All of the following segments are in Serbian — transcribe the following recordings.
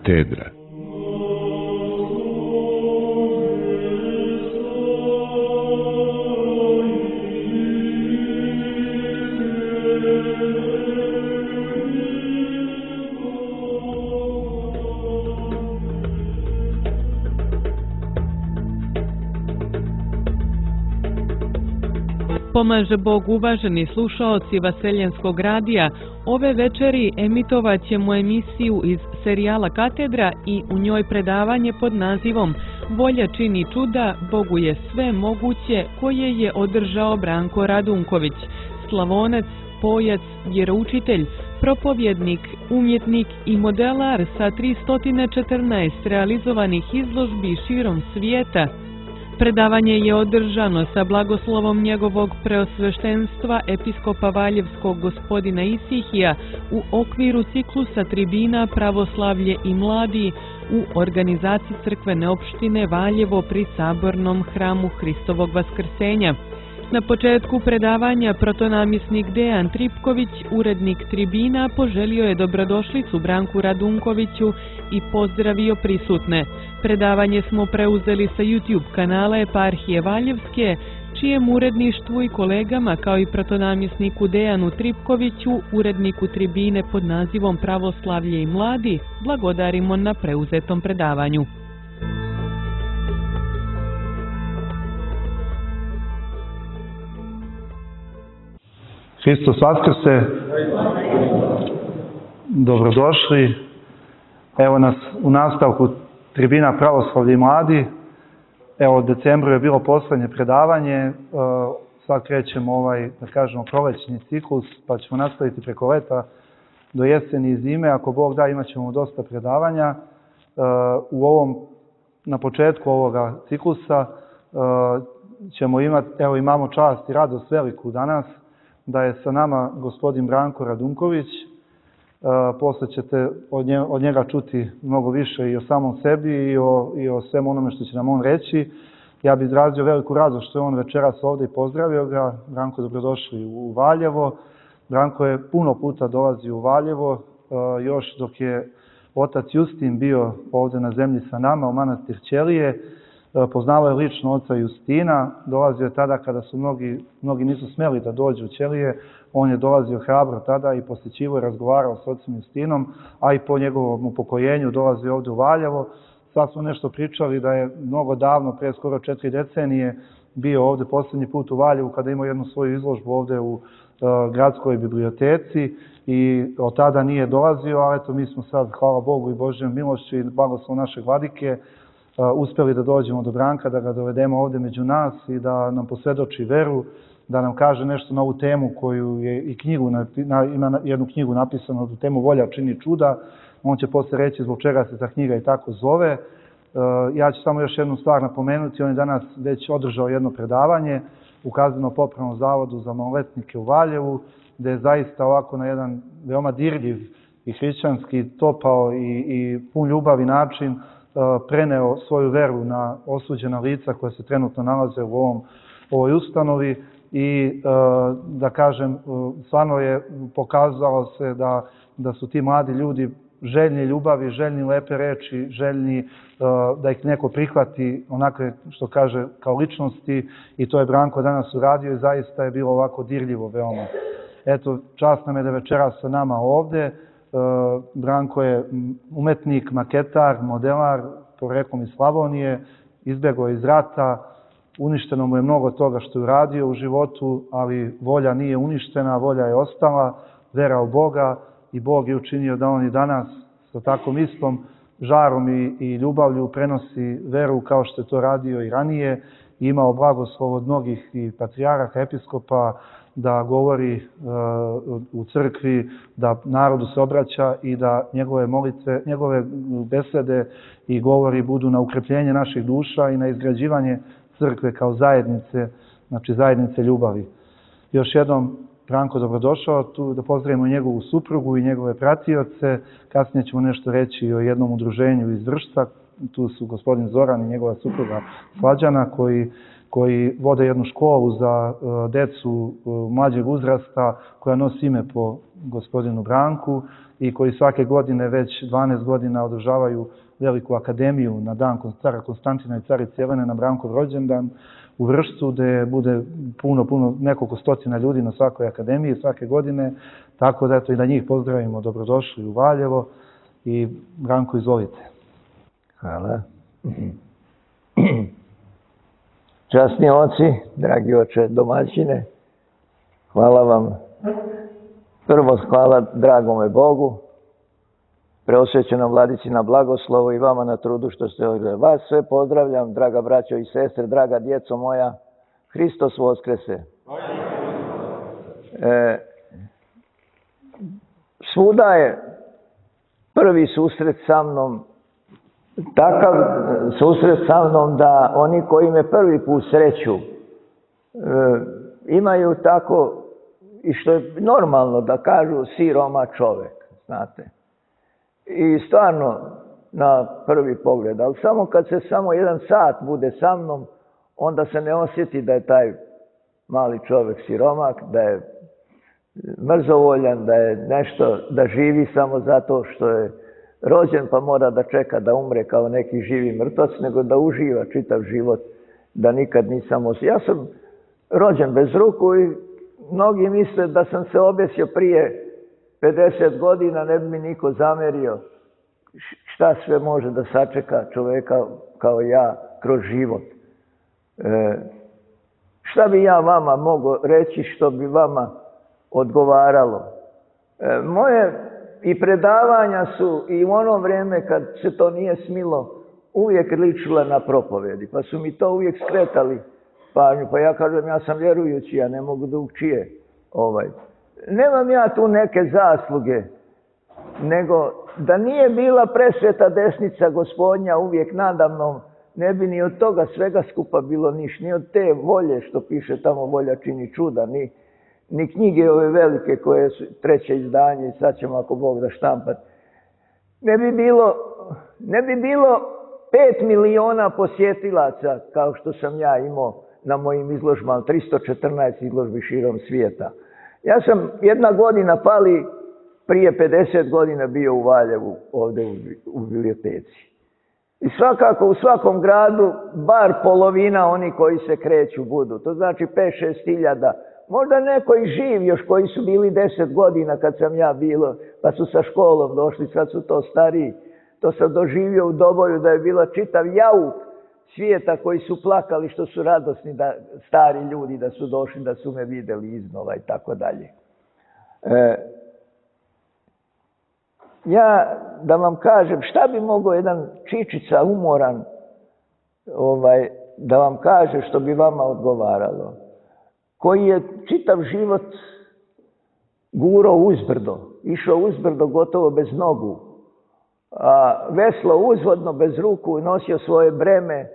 katedra. Pomaže Bog, uvaženi slušaoci Vaseljenskog radija. Ove večeri emitovat ćemo emisiju iz serijala Katedra i u njoj predavanje pod nazivom Volja čini čuda, Bogu je sve moguće, koje je održao Branko Radunković, slavonac, pojac, vjeroučitelj, propovjednik, umjetnik i modelar sa 314 realizovanih izložbi širom svijeta. Predavanje je održano sa blagoslovom njegovog preosveštenstva episkopa Valjevskog gospodina Isihija u okviru ciklusa tribina Pravoslavlje i mladi u organizaciji crkvene opštine Valjevo pri Sabornom hramu Hristovog Vaskrsenja. Na početku predavanja protonamisnik Dejan Tripković, urednik tribina, poželio je dobrodošlicu Branku Radunkoviću i pozdravio prisutne. Predavanje smo preuzeli sa YouTube kanala Eparhije Valjevske, čijem uredništvu i kolegama kao i protonamisniku Dejanu Tripkoviću, uredniku tribine pod nazivom Pravoslavlje i mladi, blagodarimo na preuzetom predavanju. Hristos Vaskrse, dobrodošli. Evo nas u nastavku tribina Pravoslavlje i mladi. Evo, u decembru je bilo poslednje predavanje, sad krećemo da kažemo, prolećni ciklus, pa ćemo nastaviti preko leta do jeseni i zime. Ako Bog da, imat ćemo dosta predavanja. Na početku ovoga ciklusa ćemo imati, evo imamo čast i radost veliku danas, da je sa nama gospodin Branko Radunković. Posle ćete od njega čuti mnogo više i o samom sebi i o svemu onome što će nam on reći. Ja bih izrazio veliku radost što je on večeras ovdje i pozdravio ga. Branko, dobrodošli u Valjevo. Branko je puno puta dolazio u Valjevo, još dok je otac Justin bio ovdje na zemlji sa nama u manastir Ćelije. Poznavao je lično oca Justina, dolazio je tada kada su mnogi nisu smjeli da dođu u Ćelije. On je dolazio hrabro tada i posjećivo i razgovarao s ocem Justinom, a i po njegovom upokojenju dolazio ovdje u Valjevo. Sad smo nešto pričali da je mnogo davno, prije skoro 4 decenije, bio ovdje posljednji put u Valjevu kada imao jednu svoju izložbu ovdje u gradskoj biblioteci i od tada nije dolazio, a eto mi smo sad, hvala Bogu i Božjom milošću i blagoslovom našeg vladike, uspjeli da dođemo do Branka, da ga dovedemo ovdje među nas i da nam posvjedoči veru, da nam kaže nešto na ovu temu koju je i ima jednu knjigu napisanu na tu temu Volja čini čuda. On će posle reći zbog čega se ta knjiga i tako zove. Ja ću samo još jednu stvar napomenuti. On je danas već održao jedno predavanje u Kazneno-popravnom zavodu za maloletnike u Valjevu, gdje je zaista ovako na jedan veoma dirljiv i hrišćanski, topao i pun ljubavi način preneo svoju veru na osuđena lica koja se trenutno nalaze u ovoj ustanovi i da kažem, stvarno je pokazalo se da su ti mladi ljudi željni ljubavi, željni lepe reči, željni da ih neko prihvati onakve, što kaže, kao ličnosti, i to je Branko danas uradio i zaista je bilo ovako dirljivo veoma. Eto, čast nam je da večeras sa nama ovdje. Branko je umetnik, maketar, modelar, poreklom iz Slavonije, izbjegao iz rata, uništeno mu je mnogo toga što je uradio u životu, ali volja nije uništena, volja je ostala, vera u Boga, i Bog je učinio da on i danas sa takvom istom žarom i ljubavlju prenosi veru kao što je to radio i ranije, i imao blagoslov od mnogih i patrijarha, episkopa, da govori u crkvi, da narodu se obraća i da njegove molitve, njegove besede i govori budu na ukrepljenje naših duša i na izgrađivanje crkve kao zajednice, znači zajednice ljubavi. Još jednom, Branko, dobrodošao tu, da pozdravimo njegovu suprugu i njegove pratioce. Kasnije ćemo nešto reći o jednom udruženju iz Vršca. Tu su gospodin Zoran i njegova supruga Slađana, koji vode jednu školu za decu mlađeg uzrasta koja nosi ime po gospodinu Branku i koji svake godine već 12 godina održavaju veliku akademiju na dan cara Konstantina i carice Jelene na Brankov rođendan u Vršcu, gde bude nekoliko stotina ljudi na svakoj akademiji svake godine, tako da eto i da njih pozdravimo, dobrodošli u Valjevo i Branko, izvolite. Hvala. Časni oci, dragi oče domaćine, hvala vam. Prvo hvala dragome Bogu, preosvećenom Vladici na blagoslovu i vama na trudu što ste ovdje. Vas sve pozdravljam, draga braćo i sestre, draga djeco moja. Hristos Voskrese. Svuda je prvi susret sa mnom, takav susret sa mnom da oni koji me prvi put sreću imaju tako, i što je normalno da kažu, siroma čovjek, znate. I stvarno na prvi pogled, ali samo kad se samo jedan sat bude sa mnom, onda se ne osjeti da je taj mali čovjek siromak, da je mrzovoljan, da je nešto, da živi samo zato što je rođen pa mora da čeka da umre kao neki živi mrtvac, nego da uživa čitav život, da nikad nisam osjetio. Ja sam rođen bez ruku i mnogi misle da sam se objesio prije 50 godina, ne bi mi niko zamerio. Šta sve može da sačeka čovjeka kao ja kroz život? Šta bi ja vama mogao reći što bi vama odgovaralo? Moje i predavanja su i u ono vrijeme kad se to nije smilo uvijek ličila na propovjedi, pa su mi to uvijek skretali pažnju. Pa ja kažem, ja sam vjerujući, ja ne mogu drugčije. Nemam ja tu neke zasluge, nego da nije bila presveta desnica Gospodnja uvijek nadamnom, ne bi ni od toga svega skupa bilo niš, ni od te volje što piše tamo volja čini čuda, ni knjige ove velike koje su treće izdanje i sad ćemo ako Bog da štampat. Ne bi bilo 5 miliona posjetilaca kao što sam ja imao na mojim izložbama, 314 izložbi širom svijeta. Ja sam jedna godina pali prije 50 godina bio u Valjevu, ovdje u biblioteci. I svakako u svakom gradu bar polovina oni koji se kreću budu. To znači 5-6 hiljada. Možda neko i živ još koji su bili 10 godina kad sam ja bilo, pa su sa školom došli, sad su to stariji. To sam doživio u Doboju da je bila čitav jauk svijeta koji su plakali što su radosni da stari ljudi da su došli, da su me vidjeli iznova i tako dalje. Ja da vam kažem šta bi mogao jedan čičica umoran da vam kaže što bi vama odgovaralo, koji je čitav život gurao uzbrdo, išao uzbrdo gotovo bez nogu, a veslo uzvodno bez ruku, nosio svoje breme,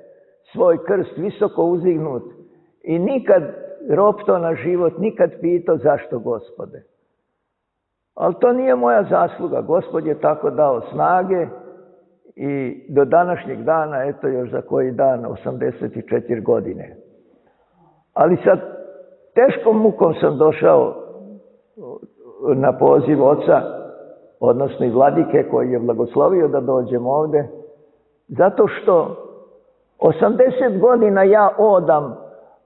svoj krst visoko uzignut i nikad ropto na život, nikad pitao zašto Gospode. Ali to nije moja zasluga, Gospod je tako dao snage i do današnjeg dana, eto još za koji dan, 84 godine. Ali sa teškom mukom sam došao na poziv oca, odnosno i vladike koji je blagoslovio da dođem ovdje, zato što 80 godina ja odam,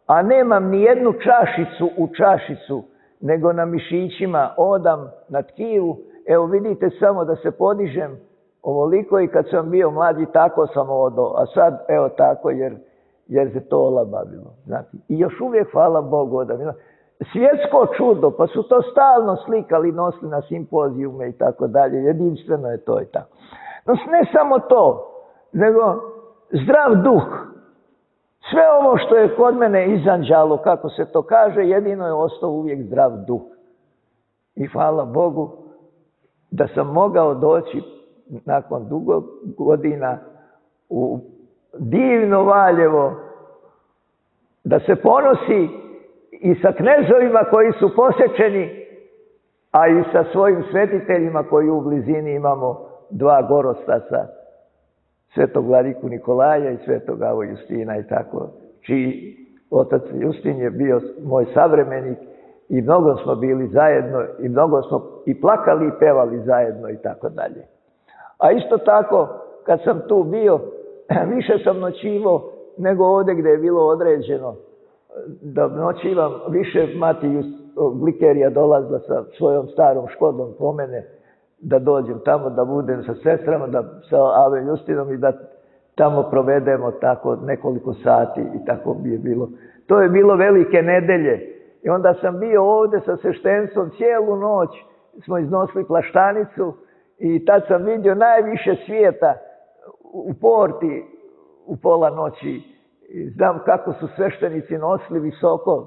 a nemam ni jednu čašicu u čašicu, nego na mišićima odam na tkivu. Evo vidite samo da se podižem ovoliko i kad sam bio mlađi tako sam odao, a sad evo tako jer se to olabavilo. Znate. I još uvijek hvala Bogu odam. Svjetsko čudo, pa su to stalno slikali, nosili na simpozijume i tako dalje. Jedinstveno je to i tako. No ne samo to, nego zdrav duh. Sve ovo što je kod mene izanđalo, kako se to kaže, jedino je ostao uvijek zdrav duh. I hvala Bogu da sam mogao doći nakon dugo godina u divno Valjevo, da se ponosi i sa knezovima koji su posjećeni, a i sa svojim svetiteljima koji u blizini imamo 2 gorostasa, svetog vladiku Nikolaja i svetog Avo Justina i tako, čiji Otac Justin je bio moj savremenik i mnogo smo bili zajedno i mnogo smo i plakali i pevali zajedno i tako dalje. A isto tako, kad sam tu bio, više sam noćivao nego ovdje gdje je bilo određeno da noćivam. Više mati Glikerija dolazila sa svojom starom Škodom po mene, da dođem tamo, da budem sa sestrama, sa Ave Justinom i da tamo provedemo tako nekoliko sati i tako bi je bilo. To je bilo velike nedelje i onda sam bio ovdje sa sveštenstvom cijelu noć, smo iznosili plaštanicu i tad sam vidio najviše svijeta u porti u pola noći. Znam kako su sveštenici nosili visoko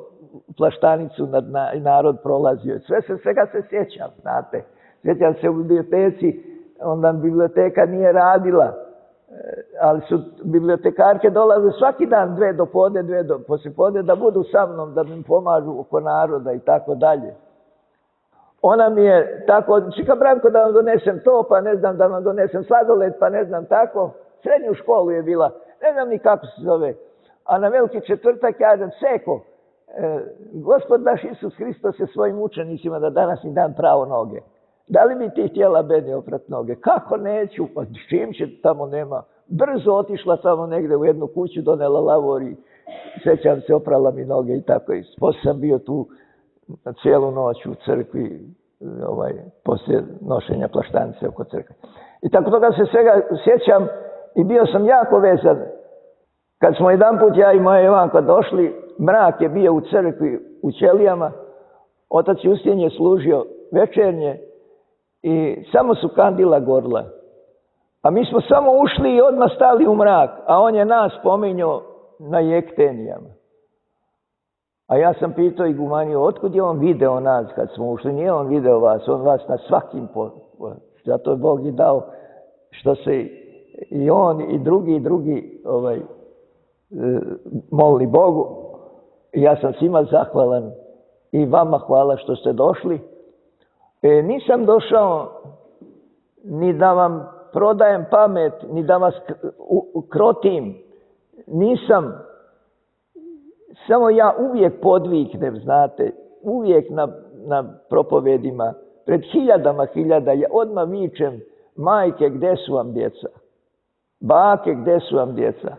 plaštanicu i narod prolazio. Svega se sjećam, znate. Sjećam se u biblioteci, onda biblioteka nije radila, ali su bibliotekarke dolaze svaki dan 2 do podne, 2 do poslijepodne da budu sa mnom, da mi pomažu oko naroda i tako dalje. Ona mi je tako, čika Branko da vam donesem to, pa ne znam da vam donesem sladoled, pa ne znam tako. Srednju školu je bila, ne znam ni kako se zove. A na Veliki četvrtak kažem, Seko, Gospod naš Isus Hristos se svojim učenicima da danas mi dan pravo noge. Da li bi ti htjela meni oprat noge? Kako neću? Pa s čim će, tamo nema. Brzo otišla tamo negdje u jednu kuću, donela lavor i sjećam se, oprala mi noge i tako. I poslije sam bio tu cijelu noć u crkvi, poslije nošenja plaštanice oko crkve. I tako toga se svega sjećam i bio sam jako vezan. Kad smo jedanput ja i moja Jovanka došli, mrak je bio u crkvi u ćelijama, otac Justin je služio večernje i samo su kandila gorla. A mi smo samo ušli i odmah stali u mrak, a on je nas pominjao na jektenijama. A ja sam pitao igumaniju, otkud je on video nas kad smo ušli? Nije on video vas, on vas na svakim zato je Bog i dao što se i on i drugi molili Bogu. I ja sam svima zahvalan i vama hvala što ste došli. Nisam došao ni da vam prodajem pamet, ni da vas krotim. Nisam. Samo ja uvijek podviknem, znate, uvijek na propovedima, pred hiljada, ja odmah vičem, majke, gdje su vam djeca? Bake, gdje su vam djeca?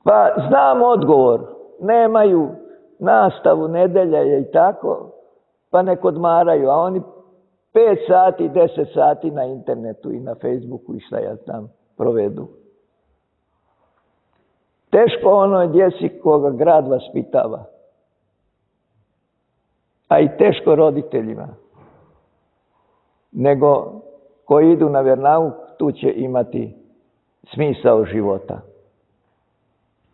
Pa znam odgovor, nemaju nastavu, nedelja je i tako, pa nek odmaraju, a oni 5 sati, 10 sati na internetu i na Facebooku i šta ja znam provedu. Teško onoj djeci koga grad vaspitava, a i teško roditeljima, nego koji idu na vjernauk, tu će imati smisao života.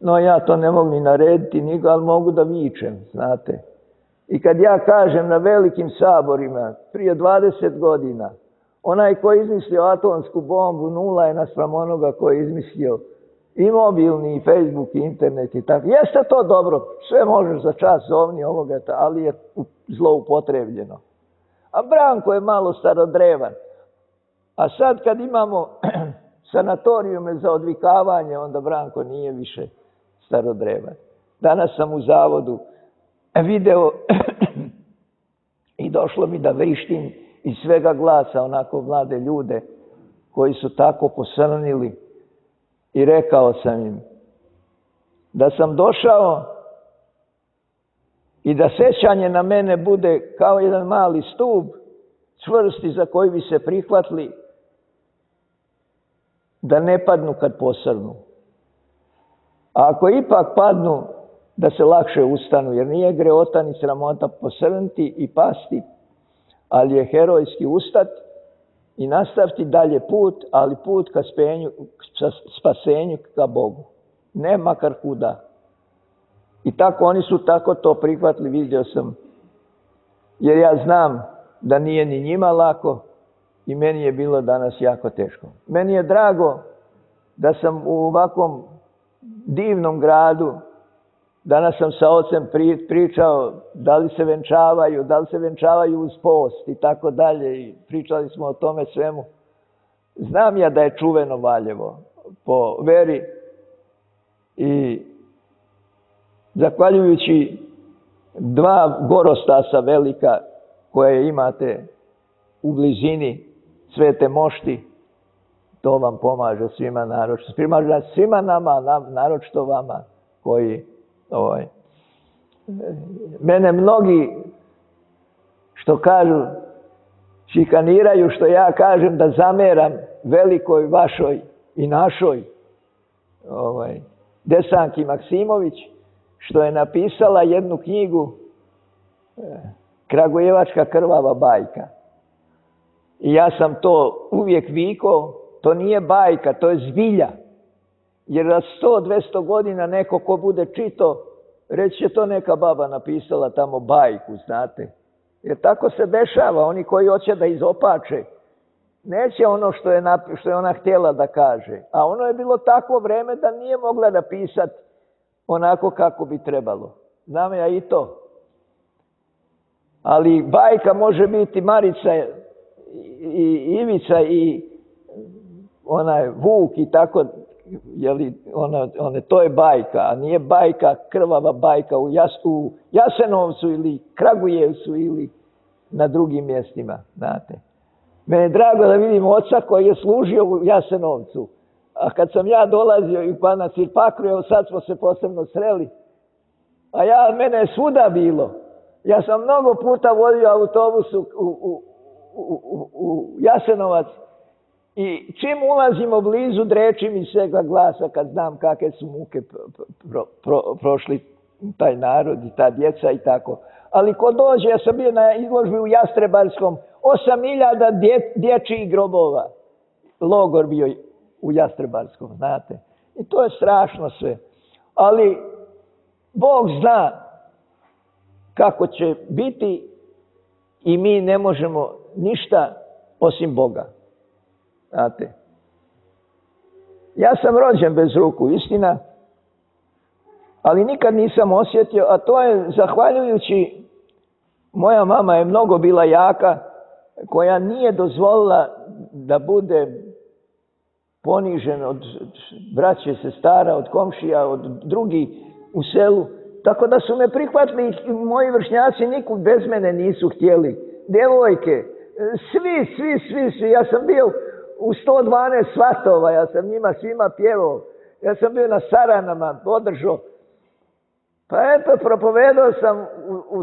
No ja to ne mogu ni narediti, nego, ali mogu da vičem, znate. I kad ja kažem na velikim saborima, prije 20 godina, onaj koji je izmislio atomsku bombu, nula je naspram onoga koji je izmislio i mobilni, i Facebook, i internet i tako. Jeste to dobro, sve možeš za čas zovni ovoga, ali je zloupotrebljeno. A Branko je malo starodrevan. A sad kad imamo sanatorijume za odvikavanje, onda Branko nije više starodrevan. Danas sam u zavodu video i došlo mi da vrištim iz svega glasa onako mlade ljude koji su tako posrnili i rekao sam im da sam došao i da sjećanje na mene bude kao jedan mali stup čvrsti za koji bi se prihvatili da ne padnu kad posrnu. A ako ipak padnu, da se lakše ustanu, jer nije greota ni sramota posrnuti i pasti, ali je herojski ustat i nastaviti dalje put, ali put ka spasenju ka Bogu. Ne makar kuda. I tako oni su tako to prihvatili, vidio sam. Jer ja znam da nije ni njima lako i meni je bilo danas jako teško. Meni je drago da sam u ovakvom divnom gradu, danas sam sa ocem pričao da li se venčavaju uz post i tako dalje i pričali smo o tome svemu. Znam ja da je čuveno Valjevo po veri i zahvaljujući 2 gorostasa velika koje imate u blizini Svete Mošti, to vam pomaže svima naročito. Primaže svima nama, naročito vama koji mene mnogi što kažu šikaniraju što ja kažem da zameram velikoj vašoj i našoj Desanki Maksimović što je napisala jednu knjigu Kragujevačka krvava bajka. I ja sam to uvijek vikao, to nije bajka, to je zbilja. Jer za 100-200 godina neko ko bude čito, reći će to neka baba napisala tamo bajku, znate. Jer tako se dešava, oni koji hoće da izopače, neće ono što je ona htjela da kaže. A ono je bilo takvo vreme da nije mogla napisati onako kako bi trebalo. Znam ja i to. Ali bajka može biti Marica i Ivica i onaj Vuk i tako, to je bajka, a nije bajka, krvava bajka u Jasenovcu ili Kragujevcu ili na drugim mjestima, znate. Mene je drago da vidim oca koji je služio u Jasenovcu, a kad sam ja dolazio i pa na Cirpakru, evo sad smo se posebno sreli, a mene je svuda bilo. Ja sam mnogo puta vozio autobus u Jasenovac i čim ulazimo blizu dreči mi svega glasa kad znam kakve su muke prošli taj narod i ta djeca i tako. Ali ko dođe, ja sam bio na izložbi u Jastrebarskom, 8.000 dječjih grobova. Logor bio u Jastrebarskom, znate. I to je strašno sve. Ali Bog zna kako će biti i mi ne možemo ništa osim Boga. Znate. Ja sam rođen bez ruku, istina, ali nikad nisam osjetio, a to je zahvaljujući, moja mama je mnogo bila jaka, koja nije dozvolila da bude ponižen od braće, sestara, od komšija, od drugih u selu. Tako da su me prihvatili i moji vršnjaci nikud bez mene nisu htjeli. Djevojke, svi. Ja sam bio u 112 svatova, ja sam njima svima pjevao. Ja sam bio na saranama, podržao. Pa eto, propovedao sam u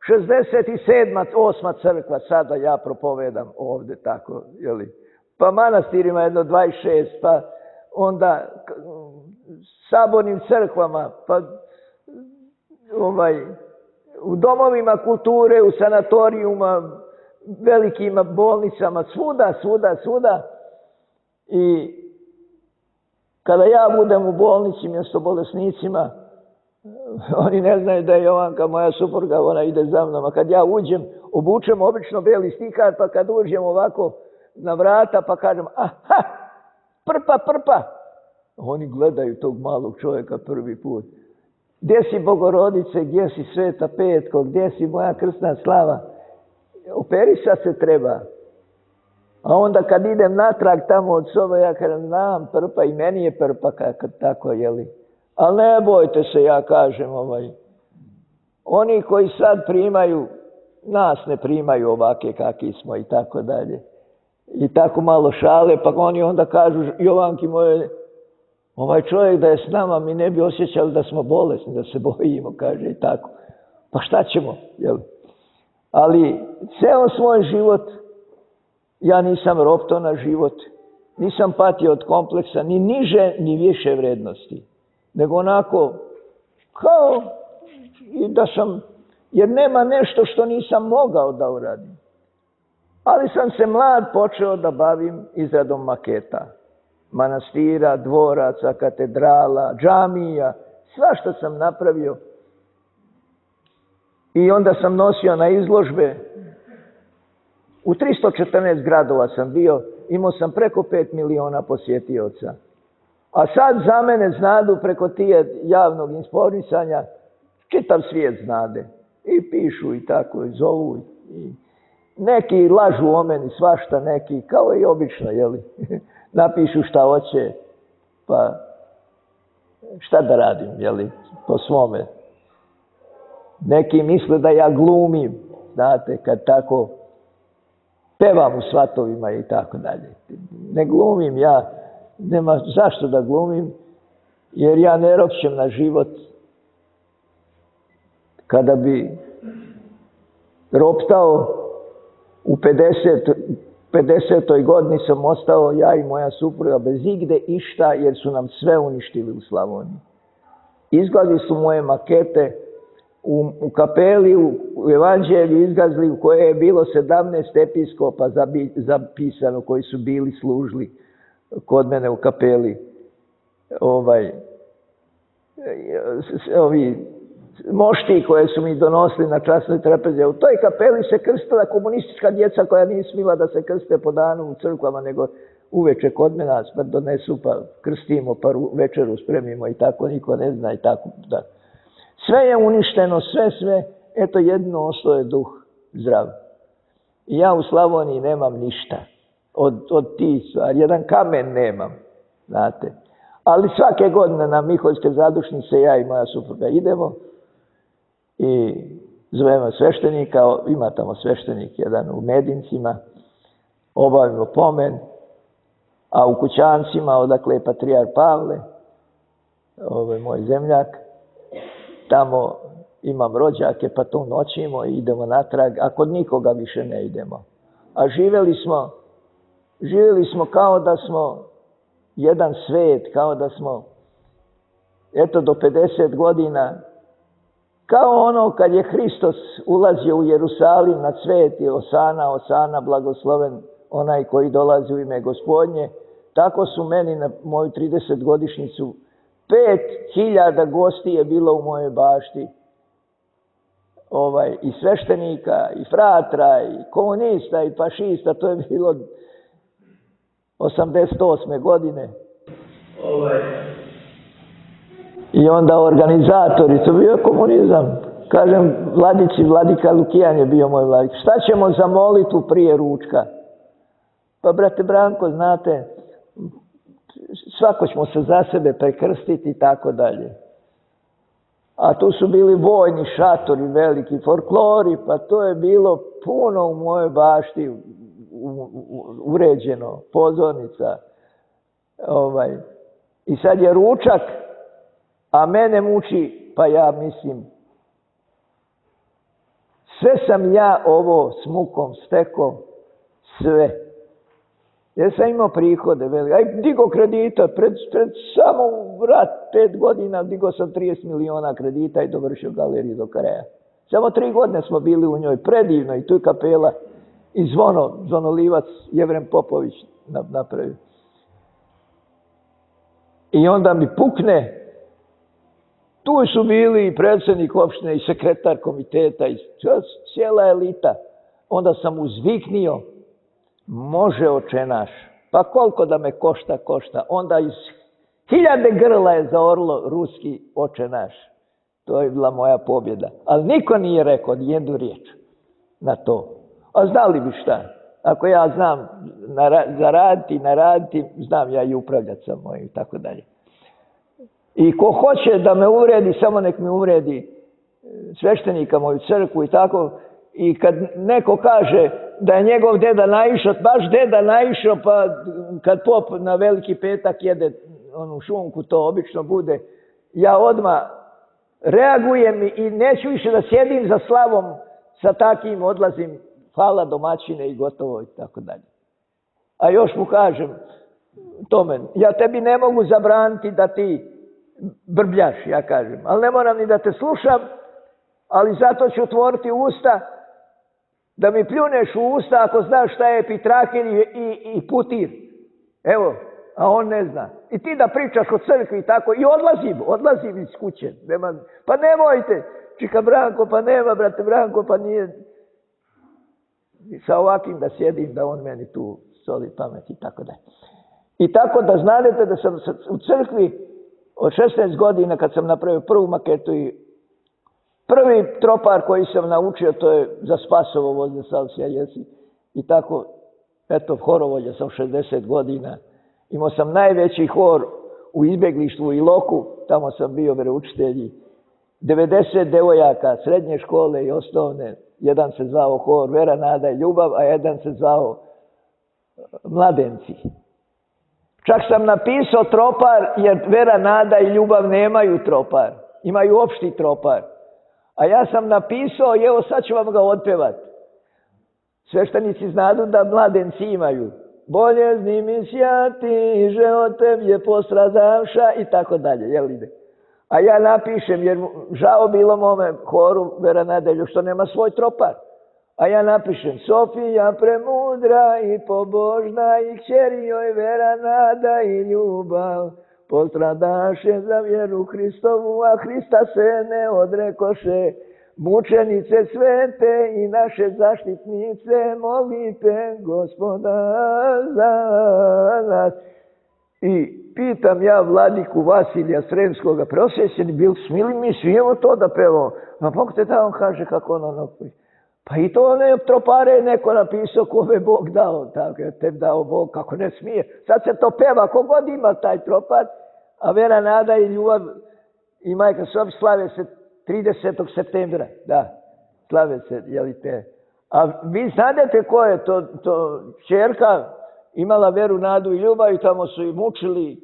167. 8. crkva, sada ja propovedam ovdje tako, jeli. Pa manastirima jedno 26, pa onda sabornim crkvama, pa u domovima kulture, u sanatorijuma, velikim bolnicama, svuda. I kada ja budem u bolnici mjesto bolesnicima, oni ne znaju da je Jovanka, moja supruga, ona ide za mnom. A kad ja uđem, obučem obično beli stihar, pa kad uđem ovako na vrata, pa kažem, aha, prpa. Oni gledaju tog malog čovjeka prvi put. Gdje si Bogorodice, gdje si Sveta Petko, gdje si moja krsna slava? Operisat se treba. A onda kad idem natrag tamo od sobe, ja kažem, znam prpa i meni je prpa tako, jeli. Ali ne bojte se, ja kažem, oni koji sad primaju, nas ne primaju ovake kakvi smo i tako dalje. I tako malo šale, pa oni onda kažu, Jovanki moje, ovaj čovjek da je s nama, mi ne bi osjećali da smo bolesni, da se bojimo, kaže i tako. Pa šta ćemo, jel? Ali ceo svoj život, ja nisam ropto na život, nisam patio od kompleksa, ni niže, ni više vrednosti. Nego onako, kao i da sam, jer nema nešto što nisam mogao da uradim. Ali sam se mlad počeo da bavim izradom maketa. Manastira, dvoraca, katedrala, džamija, svašta sam napravio. I onda sam nosio na izložbe. U 314 gradova sam bio, imao sam preko 5 miliona posjetioca. A sad za mene znadu preko tije javnog informisanja, čitav svijet znade. I pišu i tako, i zovu. I neki lažu o meni svašta, neki, kao i obično, jeli. Napišu šta hoće, pa šta da radim, jeli, po svome. Neki misle da ja glumim, znate, kad tako pevam u svatovima i tako dalje. Ne glumim ja, nema zašto da glumim, jer ja ne ropćem na život. Kada bi roptao u 50. godini sam ostao ja i moja supruga bez igde išta, jer su nam sve uništili u Slavoniji. Izgazili su moje makete u kapeli, u evanđelju izgazili u kojoj je bilo 17 episkopa zapisano koji su bili služili kod mene u kapeli. Ovi mošti koje su mi donosili na časnoj trapezi. U toj kapeli se krstila komunistička djeca koja nije smila da se krste po danu u crkvama, nego uveče kod mene pa donesu, pa krstimo, pa večeru spremimo i tako, niko ne zna i tako. Da. Sve je uništeno, sve, eto jedno ostao je duh zdrav. I ja u Slavoniji nemam ništa od tih stvari, jedan kamen nemam, znate. Ali svake godine na Miholjske zadušnice ja i moja supruga idemo i zovemo sveštenika, ima tamo sveštenik jedan u Medincima, obavimo pomen, a u Kućancima, odakle je patrijar Pavle, moj zemljak, tamo imam rođake, pa tu noćimo i idemo natrag, a kod nikoga više ne idemo. A živjeli smo kao da smo jedan svet, kao da smo, eto do 50 godina, kao ono kad je Hristos ulazio u Jerusalim na cvet i Osana, Osana, blagosloven onaj koji dolazi u ime Gospodnje, tako su meni na moju 30-godišnjicu 5000 gosti je bilo u mojoj bašti. I sveštenika, i fratra, i komunista, i fašista, to je bilo 88. godine. I onda organizatori, to bio komunizam. Kažem, vladika Lukijan je bio moj vladik. Šta ćemo za molitvu prije ručka? Pa, brate Branko, znate, svako ćemo se za sebe prekrstiti i tako dalje. A tu su bili vojni šatori, veliki folklori, pa to je bilo puno u mojoj bašti uređeno, pozornica. I sad je ručak, a mene muči, pa ja mislim, sve sam ja ovo s mukom stekao, sve. Jer sam imao prihode velike. Digo kredita, pred samo rat 5 godina digo sam 30 miliona kredita i dovršio galeriju do kraja. Samo 3 godine smo bili u njoj, predivno, i tu je kapela i zvonolivac Jevrem Popović napravio. I onda mi pukne, tu su bili i predsjednik opštine i sekretar komiteta i cijela elita. Onda sam uzviknio, može oče naš, pa koliko da me košta. Onda iz 1000 grla je zaorlo ruski oče naš. To je bila moja pobjeda. Ali niko nije rekao nijednu riječ na to. A znali bi šta? Ako ja znam zaraditi, naraditi, znam ja i upravljati sa mojim i tako dalje. I ko hoće da me uvredi, samo nek me uvredi sveštenika, moju crkvu i tako. I kad neko kaže da je njegov deda naišao, baš deda naišao, pa kad pop na Veliki petak jede onu šunku, to obično bude, ja odmah reagujem i neću više da sjedim za slavom sa takim, odlazim, hvala domaćine i gotovo i tako dalje. A još mu kažem tome, ja tebi ne mogu zabraniti da ti brbljaš, ja kažem, ali ne moram ni da te slušam, ali zato ću otvoriti usta da mi pljuneš u usta ako znaš šta je epitrahir i putir. Evo, a on ne zna. I ti da pričaš o crkvi i tako, i odlazim iz kuće. Pa nemojte, čika Branko, pa nema, brate Branko, pa nije. I sa ovakvim da sjedim, da on meni tu soli pamet i tako da. I tako da znate da sam u crkvi od 16 godina kad sam napravio prvu maketu i prvi tropar koji sam naučio, to je za Spasovo vozne salsija jesi. I tako, eto, horovolja sam 60 godina. Imao sam najveći hor u izbjeglištvu u Iloku, tamo sam bio veroučitelj, 90 devojaka srednje škole i osnovne, jedan se zvao hor Vera, nada i ljubav, a jedan se zvao Mladenci. Čak sam napisao tropar, jer Vera, nada i ljubav nemaju tropar, imaju opšti tropar. A ja sam napisao i evo sad ću vam ga otpevati. Sveštenici znadu da Mladenci imaju. Boljezni mi sjati, že od tebe postradavša i tako dalje, jel ide? A ja napišem, jer žao bilo mome horu Vera Nadelju što nema svoj tropar. A ja napišem, Sofija premudra i pobožna i kćeri joj Vera, nada i ljubav. Postradaše za vjeru Hristovu, a Hrista se ne odrekoše. Mučenice svete i naše zaštitnice, molite Gospoda za nas. I pitam ja vladiku Vasilija Sremskoga, preosjećeni bil, smili mi smijemo to da pevamo. Ma Bog te da, on kaže kako ono. Pa i to one tropare je neko napisao kome Bog dao. Tako je tebi dao Bog, kako ne smije. Sad se to peva, kogod ima taj tropar, a Vera, nada i ljubav i majka Sofi slave se 30. septembra. Da, slave se, jeli te. A vi znate ko je to ćerka, imala Veru, nadu i ljubav i tamo su i mučili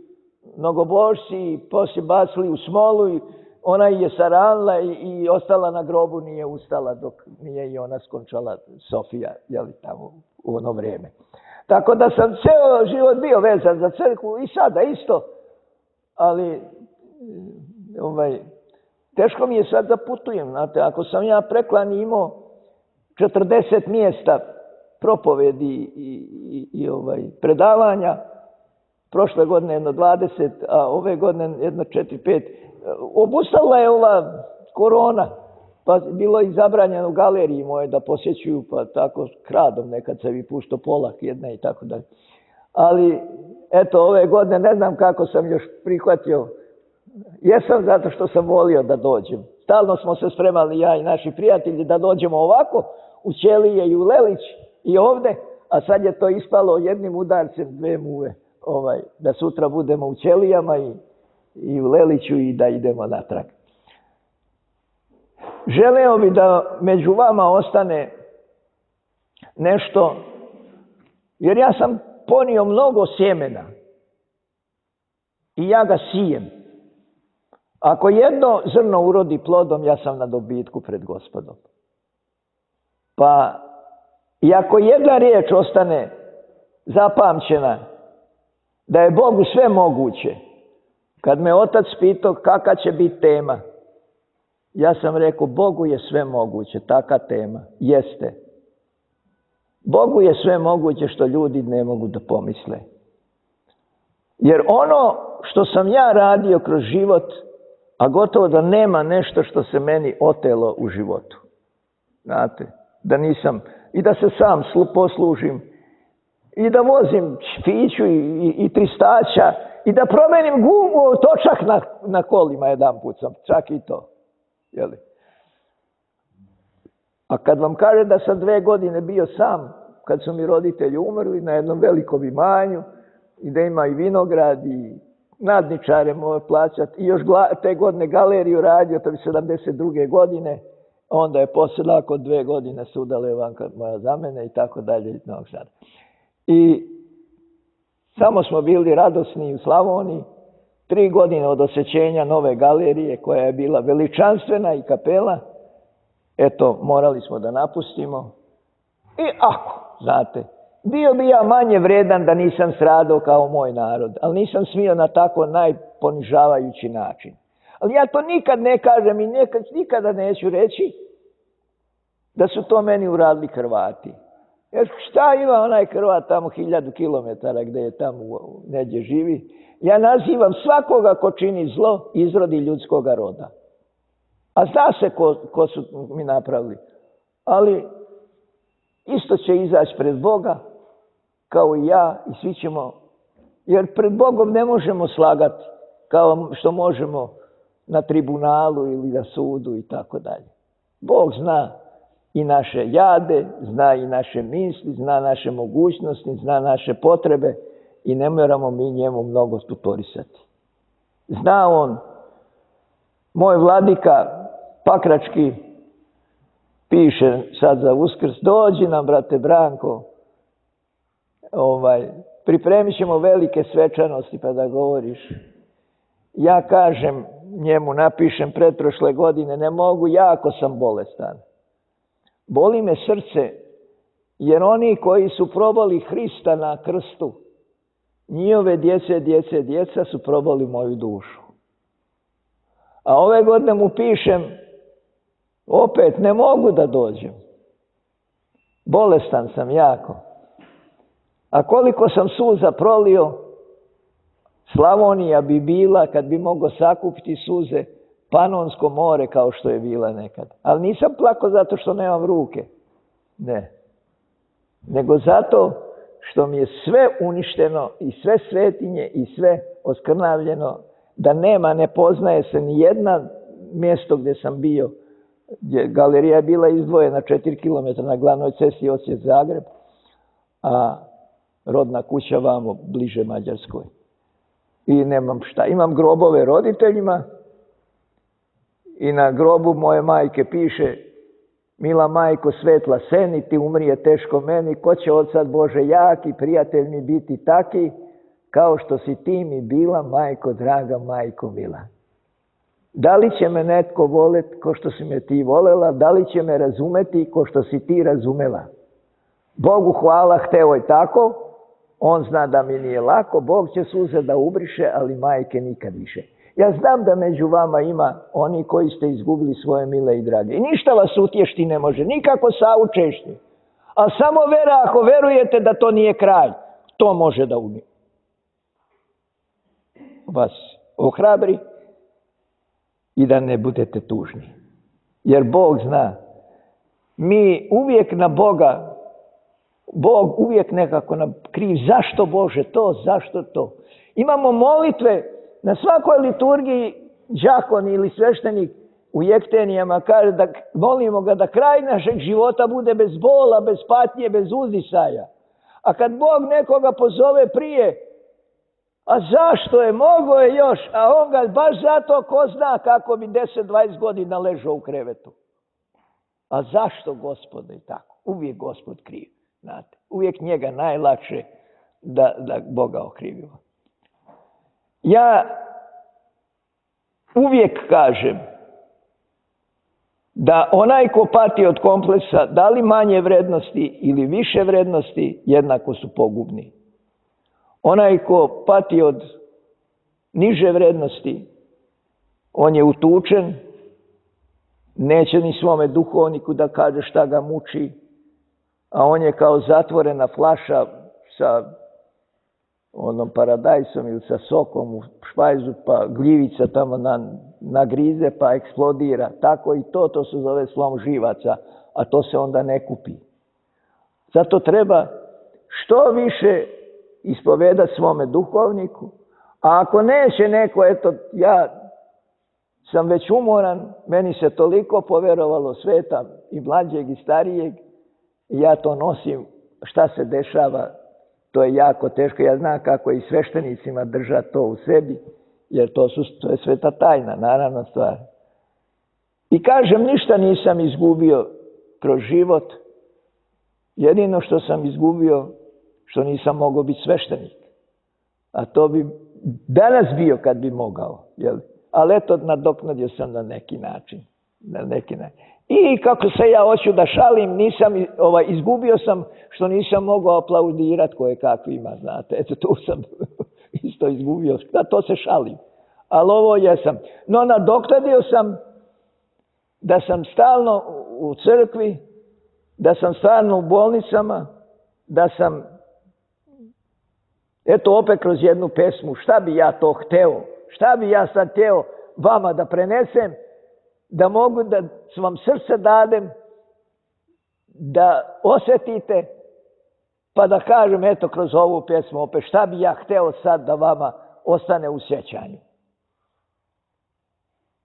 mnogobožci i poslije bacili u smolu i ona je saranila i ostala na grobu, nije ustala dok nije i ona skončala, Sofija, jeli tamo u ono vrijeme. Tako da sam ceo život bio vezan za crkvu i sada isto, ali teško mi je sad da putujem, znate, ako sam ja preklani imao 40 mjesta propovedi i predavanja, prošle godine jedno 20, a ove godine jedno 4-5. Obustavila je ova korona, pa bilo i zabranjeno u galeriji moje da posjećuju, pa tako kradom nekad se vi pušto polak jedna i tako dalje. Ali, eto, ove godine ne znam kako sam još prihvatio. Jesam zato što sam volio da dođem. Stalno smo se spremali, ja i naši prijatelji, da dođemo ovako u Ćelije i u Lelić i ovde, a sad je to ispalo jednim udarcem 2 muve. Da sutra budemo u Ćelijama i u Leliću i da idemo natrag. Želeo bi da među vama ostane nešto, jer ja sam ponio mnogo sjemena i ja ga sijem. Ako jedno zrno urodi plodom, ja sam na dobitku pred Gospodom. Pa i ako jedna riječ ostane zapamćena, da je Bogu sve moguće, kad me otac pitao kakva će biti tema, ja sam rekao, Bogu je sve moguće, taka tema, jeste. Bogu je sve moguće što ljudi ne mogu da pomisle. Jer ono što sam ja radio kroz život, a gotovo da nema nešto što se meni otelo u životu. Znate, da nisam, i da se sam poslužim, i da vozim špiću i tristača, i da promenim gumu, točak na kolima jedan put sam, čak i to. Jeli? A kad vam kaže da sam 2 godine bio sam, kad su mi roditelji umrli na jednom velikom imanju, i da ima i vinograd, i nadničare moje plaćati, i još te godine galeriju radio, to bi 72. godine, onda je poslije nakon 2 godine se udala Ivanka moja za mene i tako dalje iz Novog Sada. I samo smo bili radosni u Slavoniji, 3 godine od osvećenja nove galerije koja je bila veličanstvena i kapela, eto, morali smo da napustimo. I ako, znate, bio bi ja manje vredan da nisam stradao kao moj narod, ali nisam smio na tako najponižavajući način. Ali ja to nikad ne kažem i nikada neću reći da su to meni uradili Hrvati. Jer šta ima onaj Hrvat tamo 1000 kilometara gdje je tamo negdje živi? Ja nazivam svakoga ko čini zlo izrodi ljudskoga roda. A zna se ko su mi napravili. Ali isto će izaći pred Boga, kao i ja, i svi ćemo, jer pred Bogom ne možemo slagati, kao što možemo na tribunalu ili na sudu i tako dalje. Bog zna i naše jade, zna i naše misli, zna naše mogućnosti, zna naše potrebe i ne moramo mi njemu mnogo tutorisati. Zna on, moj vladika Pakrački piše sad za Uskrs, dođi nam, brate Branko, pripremit ćemo velike svečanosti pa da govoriš. Ja kažem njemu, napišem pretprošle godine, ne mogu, jako sam bolestan. Boli me srce, jer oni koji su probali Hrista na krstu, njihove djeca su probali moju dušu. A ove godine mu pišem, opet ne mogu da dođem. Bolestan sam jako. A koliko sam suza prolio, Slavonija bi bila, kad bi mogao sakupiti suze, Panonsko more kao što je bila nekad. Ali nisam plakao zato što nemam ruke. Ne. Nego zato što mi je sve uništeno i sve svetinje i sve oskrnavljeno, da nema, ne poznaje se ni jedna mjesto gdje sam bio. Galerija je bila izdvojena 4 km na glavnoj cesti Osijek-Zagreb, a rodna kuća vamo bliže Mađarskoj. I nemam šta. Imam grobove roditeljima i na grobu moje majke piše: mila majko svetla seni, ti umrije teško meni, ko će od sad Bože jaki, prijatelj mi biti taki, kao što si ti mi bila, majko draga, majko mila. Da li će me netko voleti ko što si me ti volela, da li će me razumeti ko što si ti razumela? Bogu hvala, hteo je tako, on zna da mi nije lako, Bog će suze da ubriše, ali majke nikad više. Ja znam da među vama ima oni koji ste izgubili svoje mile i drage. I ništa vas utješti ne može, nikako saučešti. A samo vera, ako verujete da to nije kraj, to može da vas ohrabri i da ne budete tužni. Jer Bog zna. Mi uvijek na Boga, Bog uvijek nekako nam kriv. Zašto Bože to, zašto to? Imamo molitve na svakoj liturgiji, đakon ili sveštenik u jektenijama kaže da molimo ga da kraj našeg života bude bez bola, bez patnje, bez uzdisaja. A kad Bog nekoga pozove prije, a zašto je, mogo je još, a on ga baš zato ko zna kako bi 10-20 godina ležao u krevetu. A zašto, Gospode, i tako? Uvijek Gospod kriv, znate. Uvijek njega najlakše da Boga okrivimo. Ja uvijek kažem da onaj ko pati od kompleksa, da li manje vrednosti ili više vrednosti, jednako su pogubni. Onaj ko pati od niže vrednosti, on je utučen, neće ni svome duhovniku da kaže šta ga muči, a on je kao zatvorena flaša sa onom paradajsom ili sa sokom u špajzu, pa gljivica tamo nagrize pa eksplodira. Tako i to se zove slom živaca, a to se onda ne kupi. Zato treba što više ispovedati svome duhovniku, a ako neće neko, eto, ja sam već umoran, meni se toliko poverovalo sveta i mlađeg i starijeg, i ja to nosim, šta se dešava, to je jako teško. Ja znam kako i sveštenicima držati to u sebi, jer to je sveta tajna, naravna stvar. I kažem, ništa nisam izgubio kroz život, jedino što sam izgubio, što nisam mogao biti sveštenik. A to bi danas bio kad bi mogao. Jel? Ali eto, nadoknadio sam na neki način. I kako se ja hoću da šalim, izgubio sam što nisam mogao aplaudirati koje kakvima, znate. Eto, tu sam isto izgubio. Da, to se šalim. Ali ovo jesam. No, nadoknadio sam da sam stalno u crkvi, da sam stalno u bolnicama, da sam, eto opet kroz jednu pesmu, šta bi ja to hteo, šta bi ja sad hteo vama da prenesem, da mogu da vam srce dadem, da osjetite, pa da kažem, eto kroz ovu pesmu opet, šta bi ja hteo sad da vama ostane u sjećanju.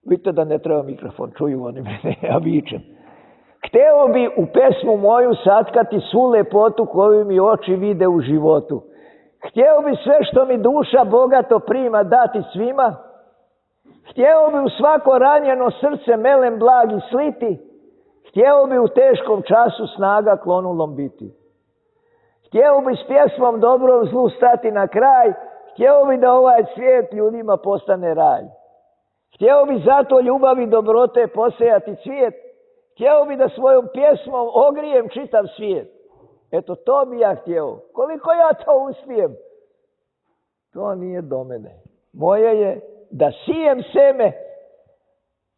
Vidite da ne treba mikrofon, čuju oni mene, ja vičem. Hteo bi u pesmu moju satkati svu lepotu koju mi oči vide u životu. Hteo bi sve što mi duša bogato prima dati svima, Htjeo bi u svako ranjeno srce melem blagi sliti, htjeo bi u teškom času snaga klonulom biti. Htjeo bi s pjesmom dobrom zlu stati na kraj, htjeo bi da ovaj svijet ljudima postane raj. Htjeo bi zato ljubavi dobrote posejati cvijet, htjeo bi da svojom pjesmom ogrijem čitav svijet. Eto, to bi ja htjeo. Koliko ja to uspijem, to nije do mene. Moje je da sijem seme,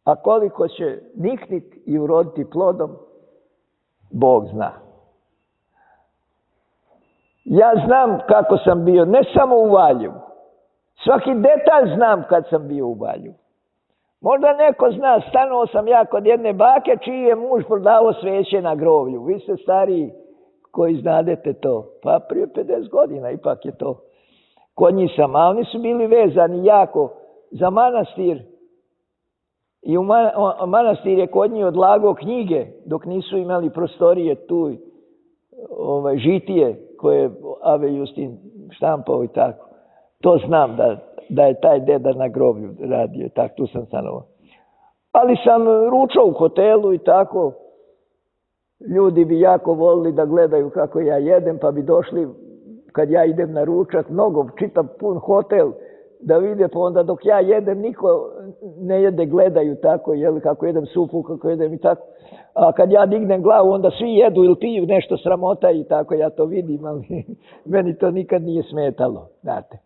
a koliko će nikniti i uroditi plodom, Bog zna. Ja znam kako sam bio, ne samo u Valjevu. Svaki detalj znam kad sam bio u Valjevu. Možda neko zna, stanuo sam ja kod jedne bake čiji je muž prodavao sveće na grovlju. Vi ste stariji koji znadete to. Pa prije 50 godina ipak je to. Kod njih sam, a oni su bili vezani jako za manastir. I manastir je kod njih odlagao knjige dok nisu imali prostorije tu, žitije koje Ave Justin štampao i tako. To znam da je taj deda na groblju radio, tako tu sam stanovao. Ali sam ručao u hotelu i tako. Ljudi bi jako volili da gledaju kako ja jedem, pa bi došli kad ja idem na ručak, mnogo, čitav pun hotel, da vide, pa onda dok ja jedem, niko ne jede, gledaju tako, kako jedem supu, kako jedem i tako. A kad ja dignem glavu, onda svi jedu ili piju nešto, sramota i tako, ja to vidim, ali meni to nikad nije smetalo, znate.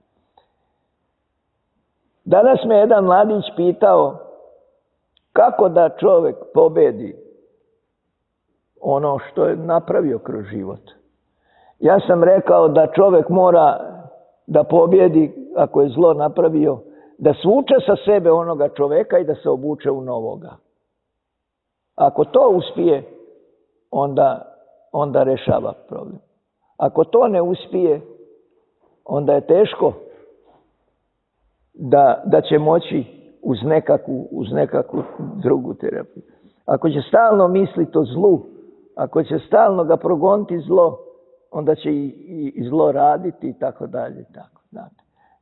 Danas me jedan mladić pitao kako da čovjek pobedi ono što je napravio kroz život. Ja sam rekao da čovjek mora da pobjedi, ako je zlo napravio, da svuče sa sebe onoga čovjeka i da se obuče u novoga. Ako to uspije, onda rešava problem. Ako to ne uspije, onda je teško da će moći uz nekakvu drugu terapiju. Ako će stalno misliti o zlu, ako će stalno ga progoniti zlo, onda će i zlo raditi i tako dalje.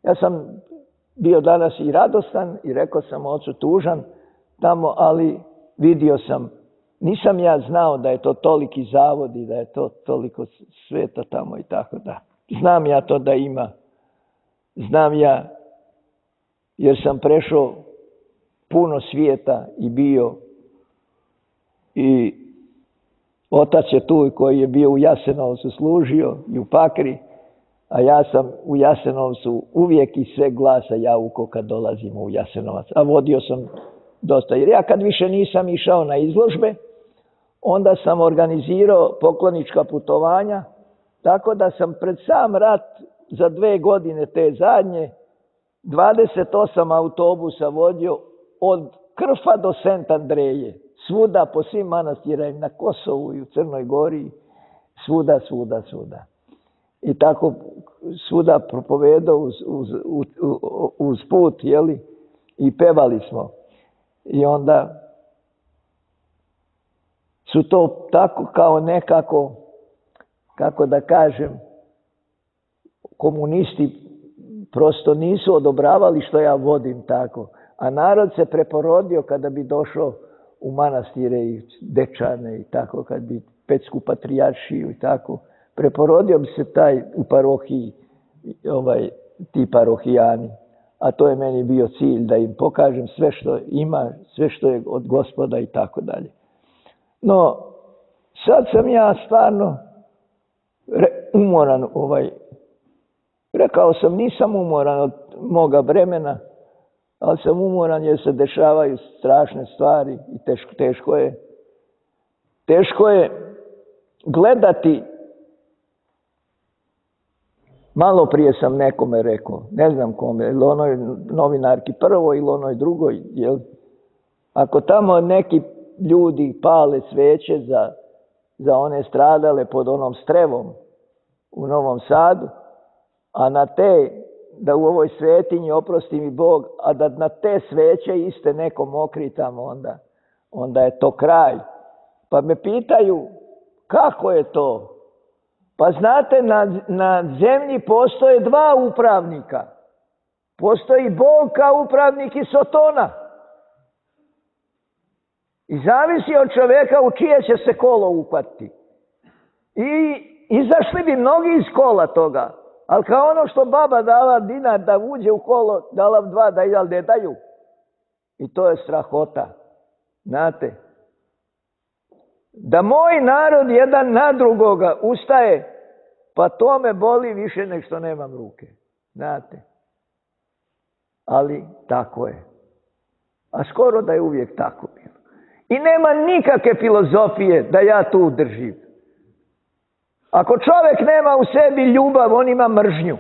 Ja sam bio danas i radostan i rekao sam ocu tužan tamo, ali vidio sam, nisam ja znao da je to toliki zavod i da je to toliko sveta tamo i tako da. Znam ja to da ima. Znam ja jer sam prešao puno svijeta i bio i otac je tu koji je bio u Jasenovcu služio i u Pakri, a ja sam u Jasenovcu uvijek iz sve glasa jaukao kad dolazimo u Jasenovac. A vodio sam dosta. Jer ja kad više nisam išao na izložbe, onda sam organizirao poklonička putovanja, tako da sam pred sam rat za 2 godine te zadnje 28 autobusa vodio od Krfa do Sent Andreje. Svuda, po svim manastirima, na Kosovu i u Crnoj Gori, svuda. I tako svuda propovedao uz put, i pevali smo. I onda su to tako kao nekako, kako da kažem, komunisti prosto nisu odobravali što ja vodim tako. A narod se preporodio kada bi došao u manastire i Dečane i tako, kad bi Petsku patrijaršiju i tako. Preporodio bi se taj u parohiji, ti parohijani. A to je meni bio cilj, da im pokažem sve što ima, sve što je od Gospoda i tako dalje. No, sad sam ja stvarno umoran, rekao sam, nisam umoran od moga vremena, ali sam umoran jer se dešavaju strašne stvari i teško je gledati. Malo prije sam nekome rekao, ne znam kome, ili onoj novinarki prvoj ili onoj drugoj, ako tamo neki ljudi pale sveće za one stradale pod onom Strevom u Novom Sadu, a na te, da u ovoj svetinji, oprosti mi Bog, a da na te sveće iste neko mokri tamo, onda je to kraj. Pa me pitaju, kako je to? Pa znate, na zemlji postoje 2 upravnika. Postoji Bog kao upravnik i Sotona. I zavisi od čovjeka u čije će se kolo uhvatiti. I izašli bi mnogi iz kola toga. Ali kao ono što baba dala dinar da uđe u kolo, dala 2 da jel ne daju. I to je strahota. Znate? Da moj narod jedan na drugoga ustaje, pa to me boli više nek što nemam ruke. Znate? Ali tako je. A skoro da je uvijek tako bilo. I nema nikakve filozofije da ja tu držim. Ako čovjek nema u sebi ljubav, on ima mržnju.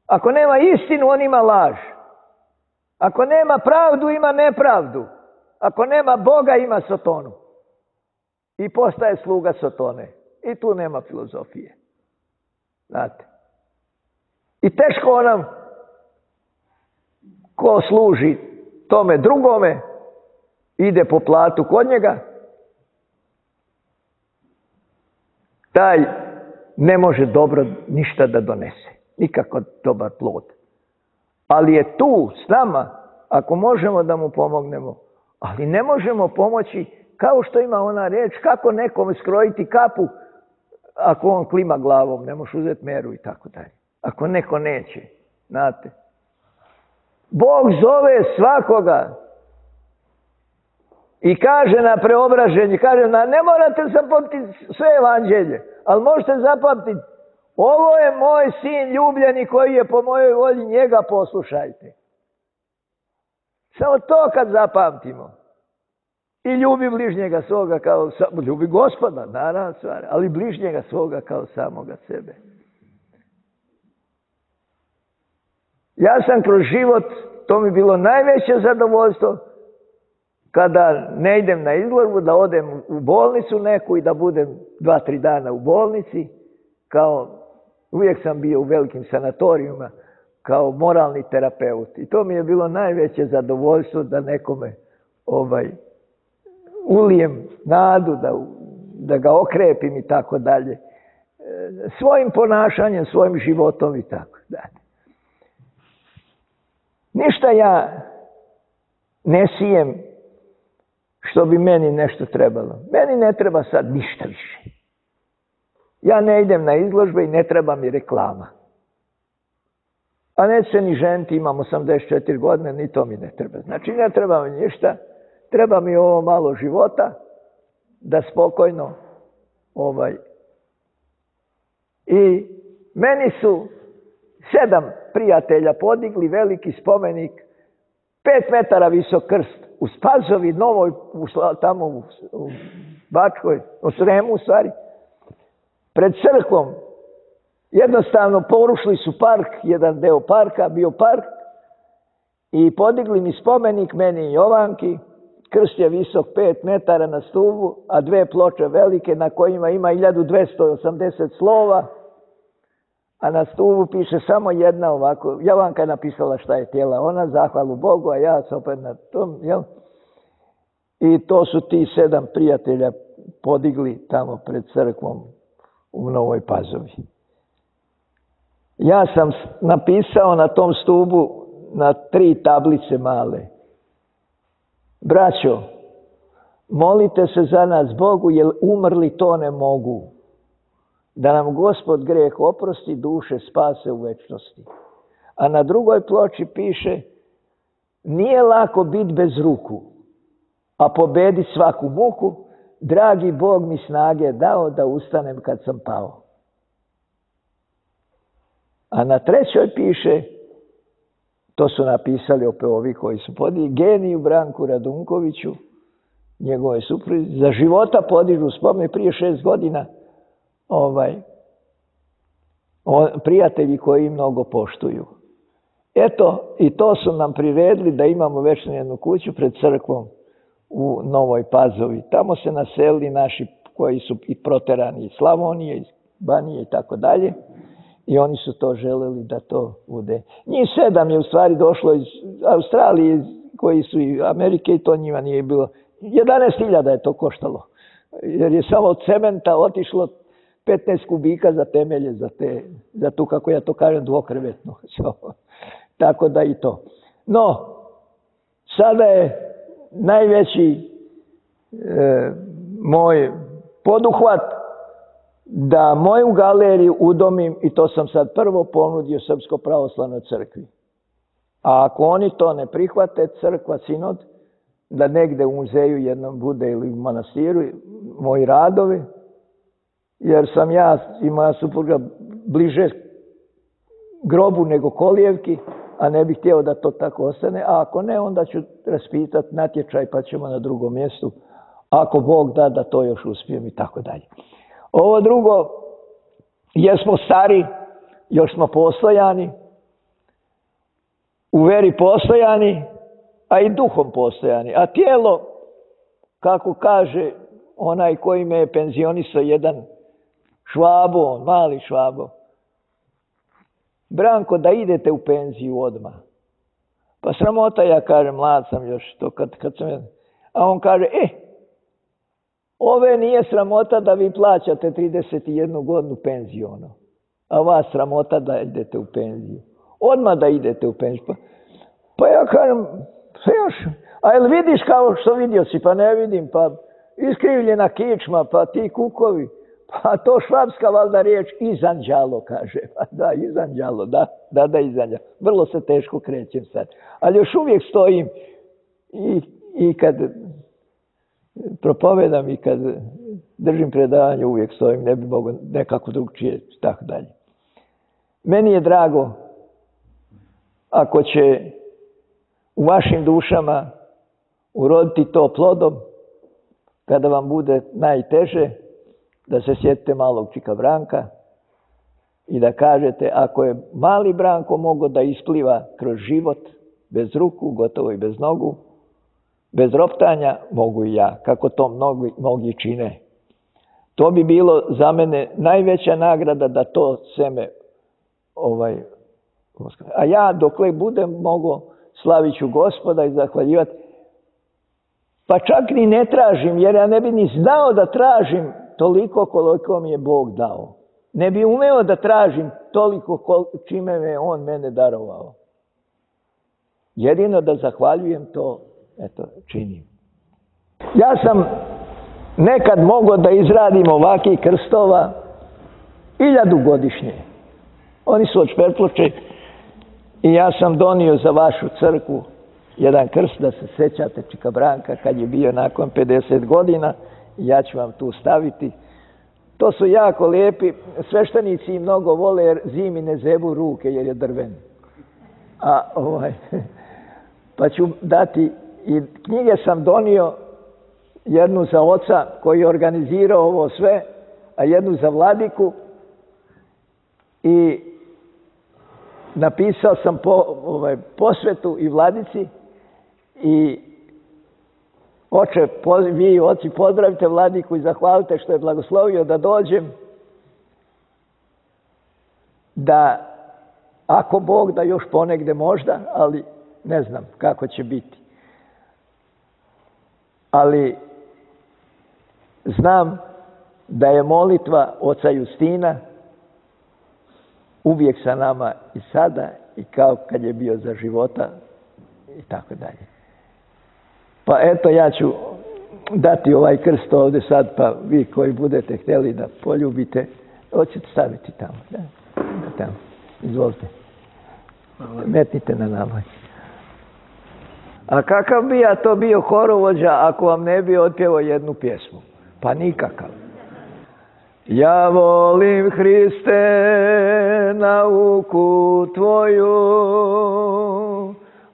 Ako nema istinu, on ima laž. Ako nema pravdu, ima nepravdu. Ako nema Boga, ima Sotonu. I postaje sluga Sotone. I tu nema filozofije. Znate. I teško onam ko služi tome drugome, ide po platu kod njega, taj ne može dobro ništa da donese. Nikako dobar plod. Ali je tu s nama, ako možemo da mu pomognemo. Ali ne možemo pomoći, kao što ima ona reč, kako nekome skrojiti kapu, ako on klima glavom, ne možeš uzeti meru i tako dalje. Ako neko neće, znate. Bog zove svakoga i kaže na preobraženje, kaže ne morate zapamtiti sve evanđelje, ali možete zapamtiti, ovo je moj sin ljubljeni koji je po mojoj volji, njega poslušajte. Samo to kad zapamtimo. I ljubi bližnjega svoga kao ljubi Gospoda, naravno stvar, ali bližnjega svoga kao samoga sebe. Ja sam kroz život, to mi bilo najveće zadovoljstvo, kada ne idem na izložbu, da odem u bolnicu neku i da budem 2-3 dana u bolnici, uvijek sam bio u velikim sanatorijima, kao moralni terapeut. I to mi je bilo najveće zadovoljstvo da nekome ulijem nadu, da ga okrepim i tako dalje. Svojim ponašanjem, svojim životom i tako dalje. Ništa ja ne sijem što bi meni nešto trebalo. Meni ne treba sad ništa više. Ja ne idem na izložbe i ne treba mi reklama. A neću se ni ženiti, imam 84 godine, ni to mi ne treba. Znači ne treba mi ništa, treba mi ovo malo života, da spokojno I meni su 7 prijatelja podigli veliki spomenik, 5 metara visok krst, u Spazovi, Novoj, tamo u Bačkoj, u Sremu u stvari, pred crkvom. Jednostavno porušili su park, jedan deo parka, bio park, i podigli mi spomenik, meni i Jovanki. Krst je visok 5 metara na stubu, a 2 ploče velike na kojima ima 1280 slova, a na stubu piše samo jedna ovako. Jovanka je napisala šta je htjela ona, zahvalu Bogu, a ja sam opet na tom, jel? I to su ti 7 prijatelja podigli tamo pred crkvom u Novoj Pazovi. Ja sam napisao na tom stubu na 3 tablice male: braćo, molite se za nas Bogu, jer umrli to ne mogu. Da nam Gospod greh oprosti, duše spase u večnosti. A na drugoj ploči piše: nije lako biti bez ruku, a pobediti svaku muku. Dragi Bog mi snage dao da ustanem kad sam pao. A na trećoj piše, to su napisali opet ovi koji su podigli, geniju Branku Radunkoviću, njegove supruzi, za života podižu spomenik prije 6 godina, prijatelji koji mnogo poštuju. Eto, i to su nam priredili da imamo večnu jednu kuću pred crkvom u Novoj Pazovi. Tamo se naselili naši koji su i proterani iz Slavonije, iz Banije i tako dalje. I oni su to želeli da to bude. Njih 7 je u stvari došlo iz Australije, koji su i Amerike, i to njima nije bilo. 11.000 je to koštalo. Jer je samo od cementa otišlo 15 kubika za temelje, za tu, kako ja to kažem, dvokrevetnu. Tako da i to. No, sada je najveći moj poduhvat da moju galeriju udomim, i to sam sad prvo ponudio Srpsko pravoslavnoj crkvi. A ako oni to ne prihvate, crkva, sinod, da negde u muzeju jednom bude ili u manastiru moji radovi, jer sam ja i moja supruga bliže grobu nego kolijevki, a ne bih htio da to tako ostane. A ako ne, onda ću raspitati natječaj pa ćemo na drugom mjestu. Ako Bog da, da to još uspijem i tako dalje. Ovo drugo, jer smo stari, još smo postojani, u veri postojani, a i duhom postojani. A tijelo, kako kaže onaj koji me je penzionisao, jedan Švabo, mali Švabo, Branko, da idete u penziju odmah. Pa sramota, ja kažem, mlad sam još, to kad sam... A on kaže, ove nije sramota da vi plaćate 31 godinu penziju, ono. A vas sramota da idete u penziju. Odmah da idete u penziju. Pa ja kažem, a jel vidiš kao što vidio si? Pa ne vidim, pa iskrivljena kičma, pa ti kukovi. Pa to švapska valjda riječ izanđalo, kaže. Pa da, izanđalo, da, izanđalo. Vrlo se teško krećem sad. Ali još uvijek stojim i kad propovedam i kad držim predavanje, uvijek stojim, ne bi mogao nekako drugčije, tako dalje. Meni je drago ako će u vašim dušama uroditi to plodom, kada vam bude najteže, da se sjetite malog čika Branka i da kažete, ako je mali Branko mogao da ispliva kroz život, bez ruku, gotovo i bez nogu, bez roptanja, mogu i ja, kako to mnogi čine. To bi bilo za mene najveća nagrada da to seme, a ja dokle budem mogao, slavit ću Gospoda i zahvaljivati. Pa čak ni ne tražim, jer ja ne bi ni znao da tražim toliko koliko mi je Bog dao. Ne bi umeo da tražim toliko čime me on mene darovao. Jedino da zahvaljujem to, činim. Ja sam nekad mogao da izradim ovakvih krstova 1000 godišnje. Oni su od šperploče i ja sam donio za vašu crkvu jedan krst, da se sećate čika Branka kad je bio nakon 50 godina. Ja ću vam tu staviti. To su jako lijepi. Sveštenici i mnogo vole jer zimi ne zebu ruke jer je drven. Pa ću dati, i knjige sam donio, jednu za oca koji je organizirao ovo sve, a jednu za vladiku, i napisao sam posvetu i vladici i oče, vi oci pozdravite vladiku i zahvalite što je blagoslovio da dođem, da ako Bog da još ponegde možda, ali ne znam kako će biti. Ali znam da je molitva oca Justina uvijek sa nama i sada i kao kad je bio za života i tako dalje. Pa eto, ja ću dati ovaj krst ovdje sad, pa vi koji budete htjeli da poljubite, hoćete staviti tamo. Da, tamo. Izvolite. Metnite na naloj. A kakav bi ja to bio horovođa ako vam ne bi otpjevao jednu pjesmu? Pa nikakav. Ja volim, Hriste, nauku tvoju,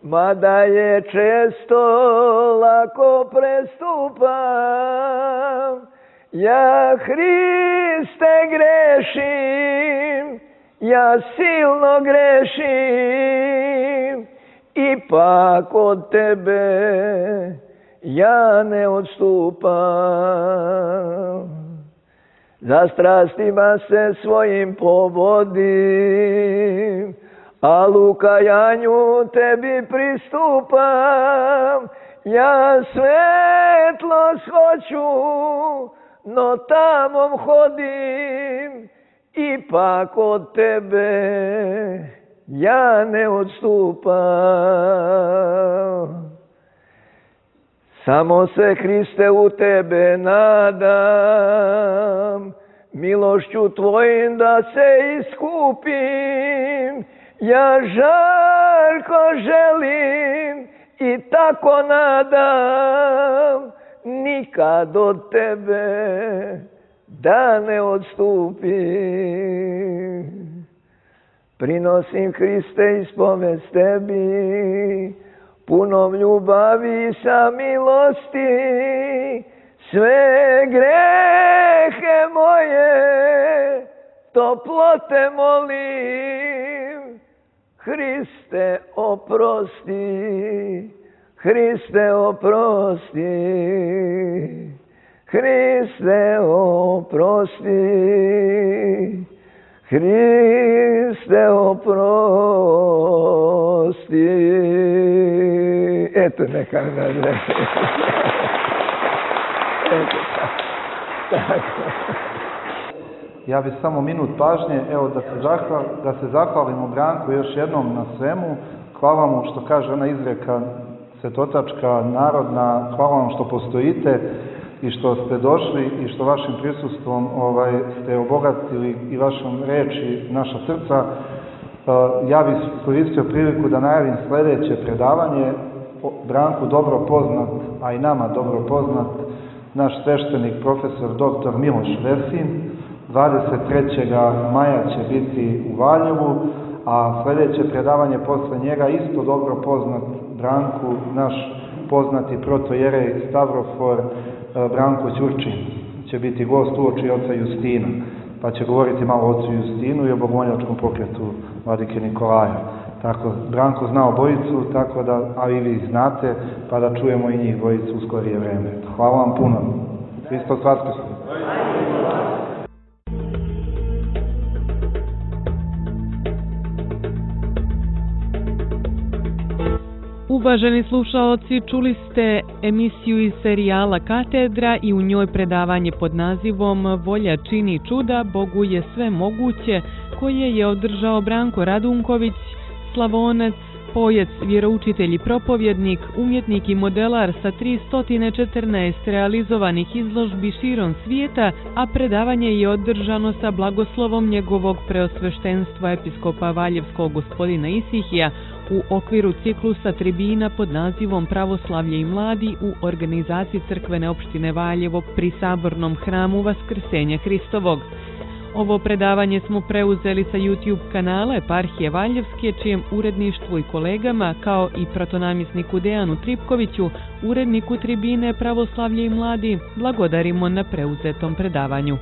mada je često lako prestupam. Ja, Hriste, grešim, ja silno grešim, ipak od tebe ja ne odstupam. Za strastima se svojim povodim, a u kajanju tebi pristupam. Ja svetlost hoću, no tamom hodim, ipak od tebe ja ne odstupam. Samo se, Hriste, u tebe nadam, milošću tvojim da se iskupim. Ja žarko želim i tako nadam, nikad od tebe da ne odstupim. Prinosim, Hriste, ispovest tebi, punom ljubavi i samilosti, sve grehe moje toplo te molim. Hriste, oprosti, Hriste, oprosti, Hriste, oprosti, Hriste, oprosti. Eto, neka mi nadreći. Eto, tako. Ja bih samo minut pažnje, evo da se zahvalimo Branku još jednom na svemu. Hvala mu što kaže ona izreka svetotačka, narodna, hvala vam što postojite i što ste došli i što vašim prisustvom ste obogatili i vašom reči naša srca. Ja bih koristio priliku da najavim sljedeće predavanje. Branku dobro poznat, a i nama dobro poznat, naš sveštenik profesor dr. Miloš Vesin. 23. maja će biti u Valjevu, a sljedeće predavanje posle njega isto dobro poznat Branku, naš poznati protojerej Stavrofor Branko Ćurčin. Će biti gost uoči oca Justina, pa će govoriti malo o ocu Justinu i o bogomoljačkom pokretu vladike Nikolaja. Tako, Branko zna obojicu, tako da, a i vi znate, pa da čujemo i njih dvojicu u skorije vreme. Hvala vam puno. Hristos Vaskrsne. Uvaženi slušaoci, čuli ste emisiju iz serijala Katedra i u njoj predavanje pod nazivom Volja čini čuda, Bogu je sve moguće, koje je održao Branko Radunković, slavonac, pojec, vjeroučitelj i propovjednik, umjetnik i modelar sa 314 realizovanih izložbi širom svijeta, a predavanje je održano sa blagoslovom njegovog preosveštenstva episkopa Valjevskog gospodina Isihija u okviru ciklusa tribina pod nazivom Pravoslavlje i mladi u organizaciji crkvene opštine Valjevo pri Sabornom hramu Vaskrsenja Hristovog. Ovo predavanje smo preuzeli sa YouTube kanala Eparhije Valjevske, čijem uredništvu i kolegama, kao i protonamisniku Dejanu Tripkoviću, uredniku tribine Pravoslavlje i mladi, blagodarimo na preuzetom predavanju.